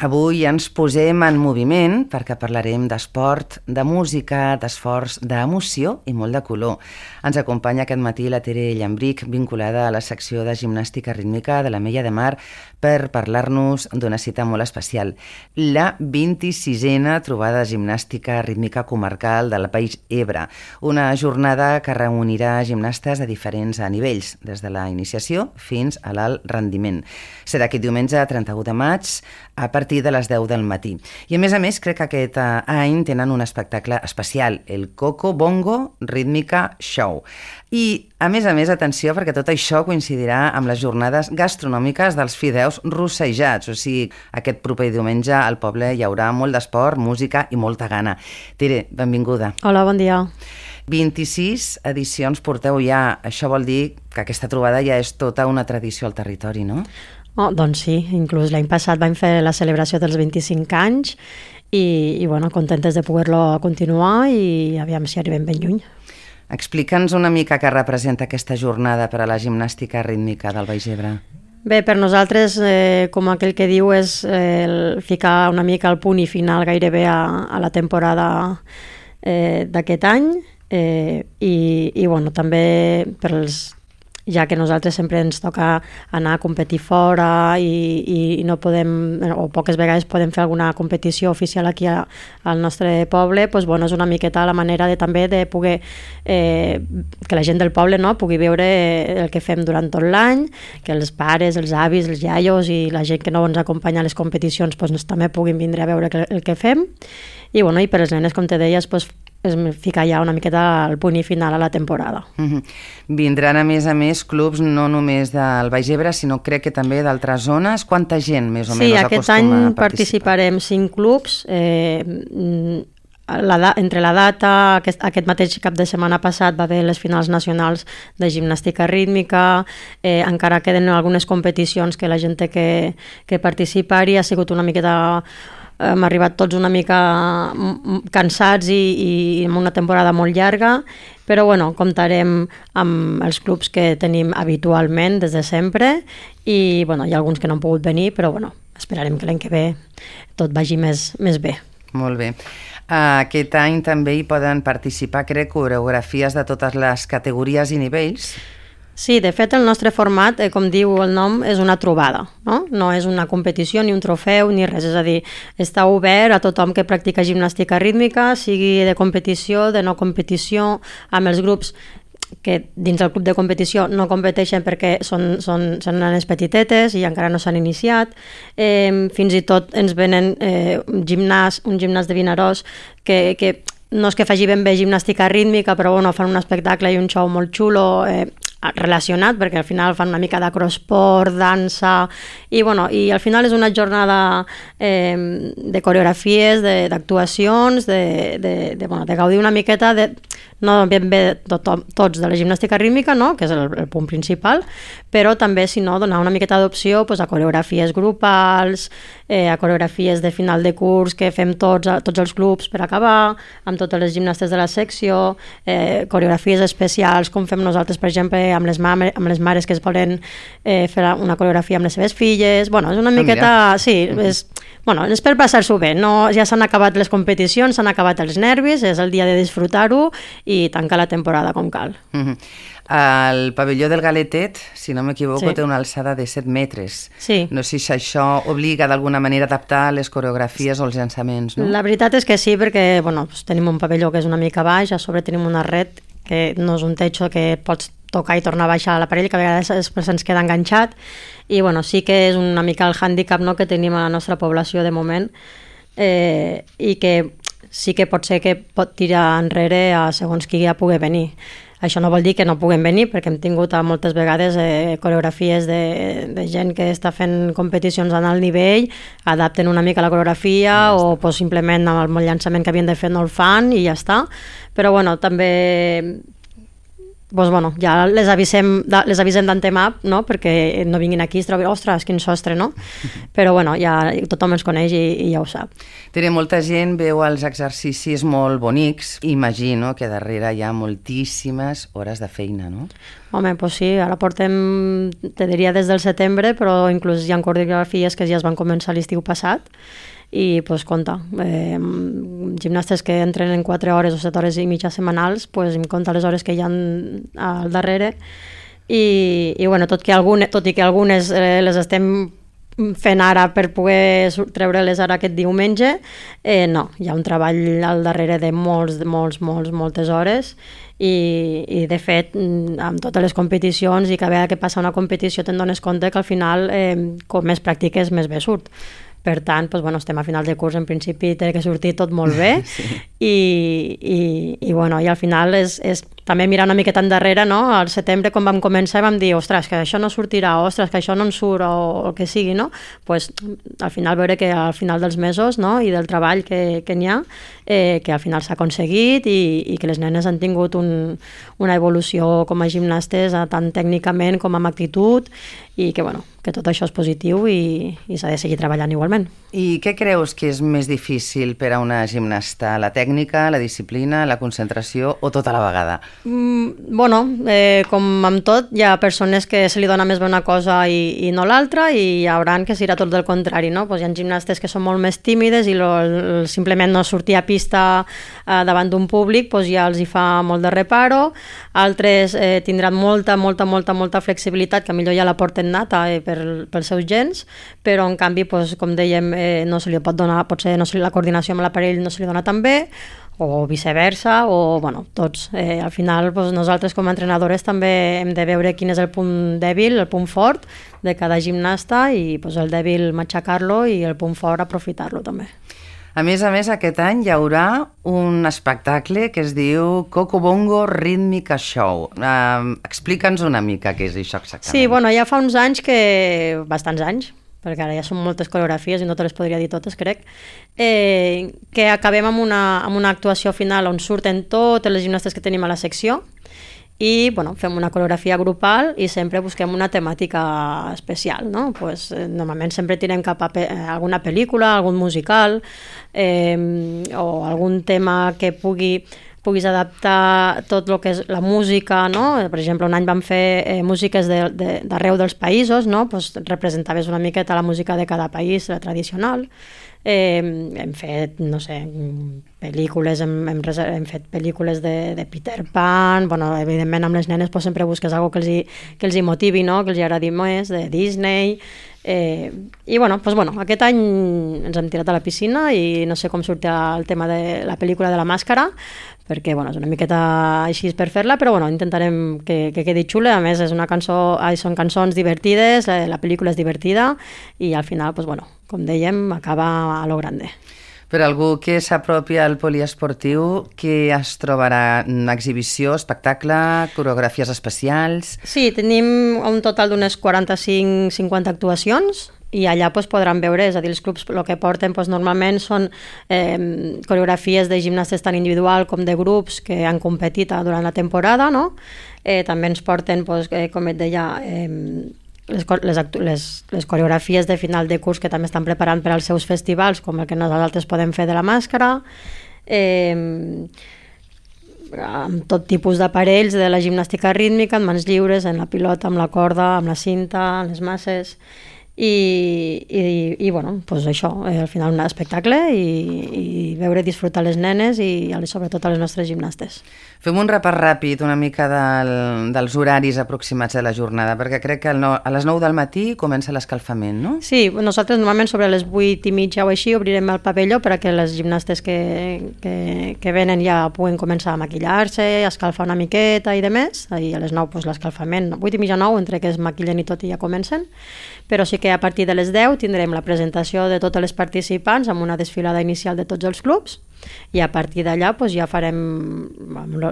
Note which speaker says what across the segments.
Speaker 1: Avui ens posem en moviment perquè parlarem d'esport, de música, d'esforç, d'emoció i molt de color. Ens acompanya aquest matí la Tere Llambric, vinculada a la secció de gimnàstica rítmica de l'Ametlla de Mar, per parlar-nos d'una cita molt especial, la 26a trobada de gimnàstica rítmica comarcal del Baix Ebre, una jornada que reunirà gimnastes a diferents nivells, des de la iniciació fins a l'alt rendiment. Serà aquest diumenge 31 de maig a partir de les 10 del matí. I a més, crec que aquest any tenen un espectacle especial, el Coco Bongo Rítmica Show. I, a més, atenció, perquè tot això coincidirà amb les jornades gastronòmiques dels fideus rossejats. O sigui, aquest proper diumenge al poble hi haurà molt d'esport, música i molta gana. Tere, benvinguda.
Speaker 2: Hola, bon dia.
Speaker 1: 26 edicions porteu ja. Això vol dir que aquesta trobada ja és tota una tradició al territori, no?
Speaker 2: Oh, doncs sí, inclús l'any passat vam fer la celebració dels 25 anys i bueno, contentes de poder-lo continuar i aviam si arribem ben lluny.
Speaker 1: Explica'ns una mica què representa aquesta jornada per a la gimnàstica rítmica del Baix Ebre.
Speaker 2: Bé, per nosaltres, com aquell que diu, és ficar una mica el punt i final gairebé a la temporada d'aquest any i bueno, també per als ja que nosaltres sempre ens toca anar a competir fora i no podem, o poques vegades podem fer alguna competició oficial aquí al nostre poble, doncs, bueno, és una miqueta la manera de també de poder que la gent del poble, no, pugui veure el que fem durant tot l'any, que els pares, els avis, els iaios i la gent que no ens acompanya a les competicions doncs, també puguin vindre a veure el que fem. I, bueno, i per les nenes, com te deies, doncs, és ficar ja una miqueta al punt i final a la temporada.
Speaker 1: Vindran, a més, clubs no només del Baix Ebre, sinó crec que també d'altres zones. Quanta gent, més o menys, acostuma a participar?
Speaker 2: Sí, aquest any participarem 5 clubs. Entre la data, aquest mateix cap de setmana passat va haver les finals nacionals de gimnàstica rítmica, encara queden algunes competicions que la gent té que participar-hi, ha sigut una miqueta... Hem arribat tots una mica cansats i amb una temporada molt llarga, però bueno, comptarem amb els clubs que tenim habitualment des de sempre i bueno, hi ha alguns que no han pogut venir, però bueno, esperarem que l'any que ve tot vagi més bé.
Speaker 1: Molt bé. Aquest any també hi poden participar, crec, coreografies de totes les categories i nivells.
Speaker 2: Sí, de fet el nostre format, com diu el nom, és una trobada, no? No és una competició, ni un trofeu, ni res, és a dir, està obert a tothom que practica gimnàstica rítmica, sigui de competició, de no competició, amb els grups que dins del club de competició no competeixen perquè són nenes petitetes i encara no s'han iniciat. Fins i tot ens venen un gimnàs de Vinaròs que no és que faci ben bé gimnàstica rítmica, però bueno, fan un espectacle i un show molt xulo, relacionat, perquè al final fan una mica d'acrosport, dansa, i bueno, i al final és una jornada de coreografies, d'actuacions, de gaudir una miqueta no ben bé tots de la gimnàstica rítmica, no? Que és el punt principal, però també, si no, donar una miqueta d'opció a coreografies grupals, a coreografies de final de curs que fem tots els clubs per acabar, amb totes les gimnastes de la secció, coreografies especials, com fem nosaltres, per exemple, amb les mares que es volen fer una coreografia amb les seves filles. Bueno, és una miqueta... Sí, és per passar-s'ho bé. Ja s'han acabat les competicions, s'han acabat els nervis, és el dia de disfrutar-ho i tancar la temporada com cal.
Speaker 1: El pavelló del Galetet, si no m'equivoco, té una alçada de 7 metres.
Speaker 2: Sí.
Speaker 1: No sé si això obliga d'alguna manera a adaptar les coreografies o els llançaments, no?
Speaker 2: La veritat és que sí, perquè tenim un pavelló que és una mica baix, a sobre tenim una red que no és un techo que pots tocar i tornar a baixar l'aparell, que a vegades se'ns queda enganxat, i bueno, sí que és una mica el hàndicap, no?, que tenim a la nostra població de moment, i que sí que pot ser que pot tirar enrere a segons qui ja pugui venir. Això no vol dir que no puguem venir, perquè hem tingut moltes vegades coreografies de gent que està fent competicions en alt nivell, adapten una mica la coreografia o simplement amb el llançament que havien de fer no el fan i ja està. Però bueno, també doncs, bueno, ja les avisem d'antemà, no? Perquè no vinguin aquí i es trobin, ostres, quin sostre, no? Però bueno, ja tothom ens coneix i ja ho sap.
Speaker 1: Tere, molta gent veu els exercicis molt bonics. Imagino que darrere hi ha moltíssimes hores de feina, no?
Speaker 2: Home, doncs sí, ara portem, te diria des del setembre, però inclús hi ha coreografies que ja es van començar l'estiu passat, i doncs compta, gimnastes que entrenen 4 hores o 7 hores i mitja setmanals, doncs em compta les hores que hi ha al darrere i bueno, tot i que algunes les estem fent ara per poder treure-les ara aquest diumenge, no, hi ha un treball al darrere de moltes hores i de fet amb totes les competicions i cada vegada que passa una competició te'n dones compte que al final com més practiques més bé surt. Per tant, doncs, bueno, estem a final de curs, en principi té que sortir tot molt bé sí. i bueno, i al final és també mirar una miqueta endarrere, no? Al setembre, quan vam començar, vam dir, ostres, que això no sortirà, ostres, que això no en surt, o el que sigui, no? Pues, al final veure que al final dels mesos, no? I del treball que n'hi ha, que al final s'ha aconseguit i que les nenes han tingut una evolució com a gimnastes, tant tècnicament com amb actitud, i que, bueno, que tot això és positiu i s'ha de seguir treballant igualment.
Speaker 1: I què creus que és més difícil per a una gimnasta? La tècnica, la disciplina, la concentració o tota la vegada?
Speaker 2: Bueno, com amb tot, hi ha persones que se li dona més bé una cosa i no l'altra i hi haurà que serà tot del contrari, no? Pues hi ha gimnastes que són molt més tímides i simplement no sortir a pista davant d'un públic pues ja els hi fa molt de reparo, altres tindran molta flexibilitat, que millor ja la porten nata pels seus gens, però en canvi, pues, com dèiem, no se li pot donar, potser la coordinació amb l'aparell no se li dona tan bé, o viceversa, o bueno, tots. Al final, doncs, nosaltres com a entrenadores també hem de veure quin és el punt dèbil, el punt fort de cada gimnasta i doncs, el dèbil matxacar-lo i el punt fort aprofitar-lo també.
Speaker 1: A més, aquest any hi haurà un espectacle que es diu Coco Bongo Rítmica Show. Explica'ns una mica què és això exactament.
Speaker 2: Sí, bueno, ja fa uns anys bastants anys, perquè ara ja són moltes coreografies i no te les podria dir totes, crec, que acabem amb una actuació final on surten totes les gimnastes que tenim a la secció i bueno, fem una coreografia grupal i sempre busquem una temàtica especial, no? Pues, normalment sempre tirem cap a alguna pel·lícula, algun musical o algun tema que puguis adaptar tot el que és la música, no? Per exemple, un any vam fer músiques d'arreu dels països, no? Pues representaves una miqueta la música de cada país, la tradicional. Hem fet, no sé, pel·lícules, hem fet pel·lícules de Peter Pan, bueno, evidentment amb les nenes pues, sempre busques alguna cosa que els hi motivi, no? Que els hi agradi més, de Disney, i bueno, pues, bueno, aquest any ens hem tirat a la piscina i no sé com sortirà el tema de la pel·lícula de la màscara, perquè bueno, és una miqueta així per fer-la, però bueno, intentarem que quedi xula. A més, són cançons divertides, la pel·lícula és divertida i al final, pues, bueno, com dèiem, acaba a lo grande.
Speaker 1: Per algú que s'apropi al poliesportiu, que es trobarà exhibició, espectacle, coreografies especials?
Speaker 2: Sí, tenim un total d'unes 45-50 actuacions i allà pues, podran veure, és a dir, els clubs el que porten pues, normalment són coreografies de gimnastes tant individual com de grups que han competit durant la temporada, no? També ens porten, pues, com et deia, les coreografies de final de curs que també estan preparant per als seus festivals, com el que nosaltres podem fer de la màscara, amb tot tipus d'aparells de la gimnàstica rítmica, en mans lliures, en la pilota, amb la corda, amb la cinta, en les masses, i bueno, pues això, al final un espectacle i veure i disfrutar les nenes i sobretot a les nostres gimnastes.
Speaker 1: Fem un repàs ràpid una mica dels horaris aproximats de la jornada, perquè crec que a les 9 del matí comença l'escalfament, no?
Speaker 2: Sí, nosaltres normalment sobre les 8:30 o així obrirem el pavelló perquè les gimnastes que venen ja puguen començar a maquillar-se, a escalfar una miqueta i de més, i a les 9 pues, l'escalfament, 8:30 9, entre que es maquillen i tot i ja comencen, però sí que a partir de les 10 tindrem la presentació de totes les participants amb una desfilada inicial de tots els clubs i a partir d'allà doncs, ja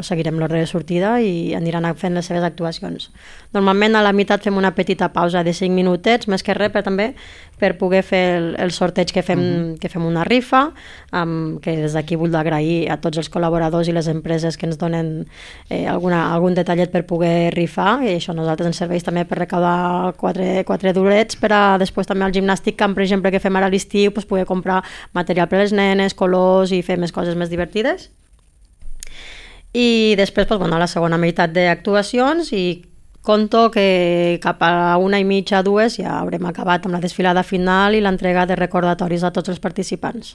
Speaker 2: seguirem l'ordre de sortida i aniran fent les seves actuacions. Normalment a la meitat fem una petita pausa de 5 minutets, més que res, però també per poder fer el sorteig que fem una rifa, que des d'aquí vull agrair a tots els col·laboradors i les empreses que ens donen algun detallet per poder rifar, i això a nosaltres ens serveix també per recaudar 4 durets per a després també al gimnàstic camp, per exemple, que fem ara a l'estiu, doncs poder comprar material per a les nenes, colors i fer més coses més divertides. I després doncs, la segona meitat d'actuacions i conto que cap a 1:30, 2 ja haurem acabat amb la desfilada final i l'entrega de recordatoris a tots els participants.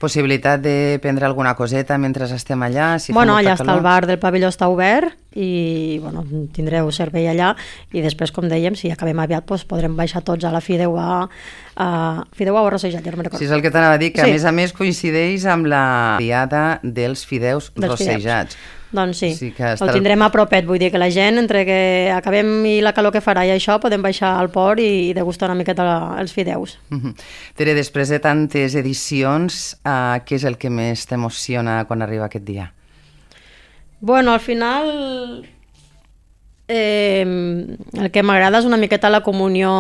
Speaker 1: Possibilitat de prendre alguna coseta mentre estem allà? Si
Speaker 2: allà està el bar del pavelló, està obert i tindreu servei allà i després, com dèiem, si acabem aviat podrem baixar tots a la Fideuà o Rossejat, ja no me'n recordo.
Speaker 1: Sí, és el que t'anava a dir, que a més coincideix amb la diada dels fideus rossejats.
Speaker 2: Doncs sí, el tindrem a propet, vull dir que la gent, entre que acabem i la calor que farà i això, podem baixar al port i degustar una miqueta els fideus.
Speaker 1: Tere, després de tantes edicions, què és el que més t'emociona quan arriba aquest dia?
Speaker 2: Al final el que m'agrada és una miqueta la comunió,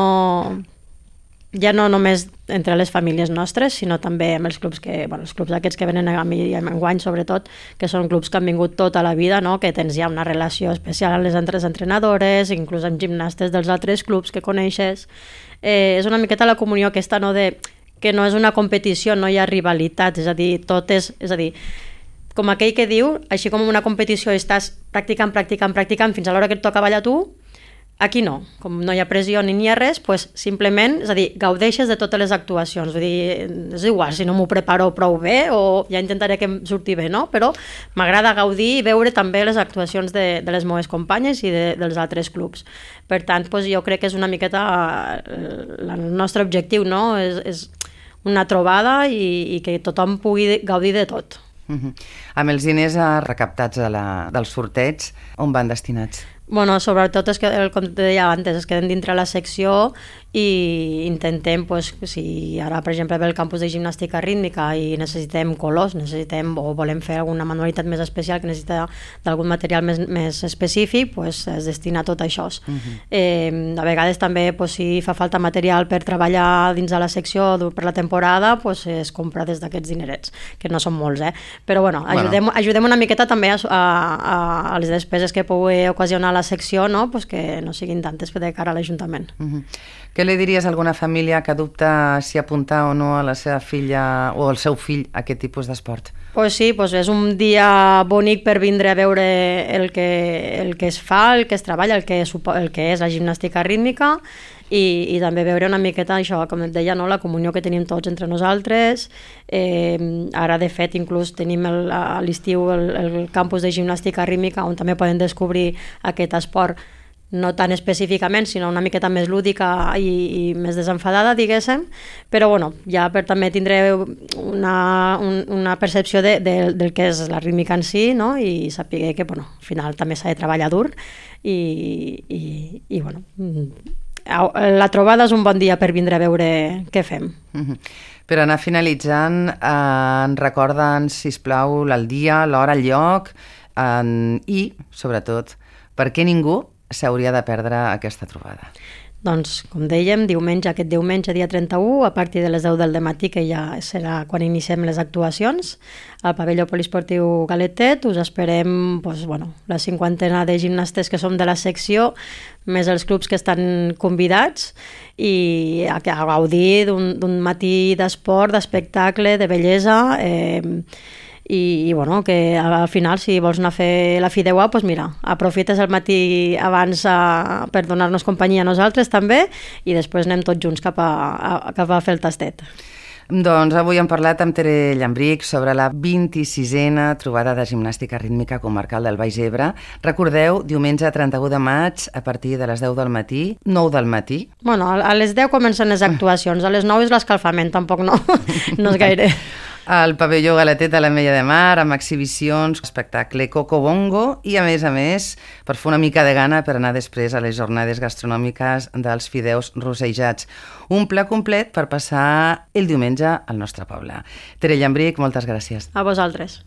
Speaker 2: ja no només entre les famílies nostres, sinó també amb els clubs els clubs aquests que venen a mi enguany, sobretot, que són clubs que han vingut tota la vida, no? Que tens ja una relació especial amb les altres entrenadores, inclús amb gimnastes dels altres clubs que coneixes. És una miqueta la comunió aquesta, no? Que no és una competició, no hi ha rivalitat, és a dir, com aquell que diu, així com en una competició estàs practicant fins a l'hora que et toca ballar tu, aquí no, com no hi ha pressió ni hi ha res, doncs simplement, és a dir, gaudeixes de totes les actuacions, vull dir, és igual si no m'ho preparo prou bé o ja intentaré que em surti bé, no? Però m'agrada gaudir i veure també les actuacions de les meves companyes i dels altres clubs. Per tant, doncs jo crec que és una miqueta el nostre objectiu, no? És una trobada i que tothom pugui gaudir de tot.
Speaker 1: Amb els diners recaptats del sorteig, on van destinats?
Speaker 2: Sobretot, com te deia abans, es queden dintre la secció i intentem, si ara, per exemple, ve el campus de gimnàstica rítmica i necessitem colors, o volem fer alguna manualitat més especial que necessita d'algun material més específic, es destina a tot això. A vegades també, si fa falta material per treballar dins de la secció per la temporada, es compra des d'aquests dinerets, que no són molts, però ajudem una miqueta també a les despeses que pugui ocasionar la secció, que no siguin tantes de cara a l'Ajuntament.
Speaker 1: Què li diries a alguna família que dubta si apuntar o no a la seva filla o al seu fill a aquest tipus d'esport?
Speaker 2: Sí, és un dia bonic per vindre a veure el que es fa, el que es treballa, el que és la gimnàstica rítmica i també veure una miqueta això, com et deia, la comunió que tenim tots entre nosaltres. Ara, de fet, inclús tenim a l'estiu el campus de gimnàstica rítmica on també poden descobrir aquest esport, no tan específicament, sinó una miqueta més lúdica i més desenfadada, diguéssim, però ja per també tindré una percepció del que és la rítmica en si, no? I saber que al final també s'ha de treballar dur i la trobada és un bon dia per vindre a veure què fem.
Speaker 1: Per anar finalitzant, recorda'ns, sisplau, el dia, l'hora, el lloc i, sobretot, per què ningú s'hauria de perdre aquesta trobada?
Speaker 2: Doncs, com dèiem, aquest diumenge, dia 31, a partir de les 10 del matí, que ja serà quan iniciem les actuacions, al pavelló poliesportiu Galetet. Us esperem la 50 de gimnastes que som de la secció, més els clubs que estan convidats, i a gaudir d'un matí d'esport, d'espectacle, de bellesa, i que al final, si vols anar a fer la Fideuà, aprofites el matí abans per donar-nos companyia a nosaltres també, i després anem tots junts cap a fer el tastet.
Speaker 1: Doncs avui hem parlat amb Tere Llambrich sobre la 26a trobada de gimnàstica rítmica comarcal del Baix Ebre. Recordeu, diumenge 31 de maig, a partir de les 10 del matí, 9 del matí.
Speaker 2: A les 10 comencen les actuacions, a les 9 és l'escalfament, tampoc no és gaire.
Speaker 1: al pavelló Galetet de l'Ametlla de Mar, amb exhibicions, espectacle Coco Bongo i, a més, per fer una mica de gana per anar després a les jornades gastronòmiques dels fideus rosejats. Un pla complet per passar el diumenge al nostre poble. Tere Llambric, moltes gràcies.
Speaker 2: A vosaltres.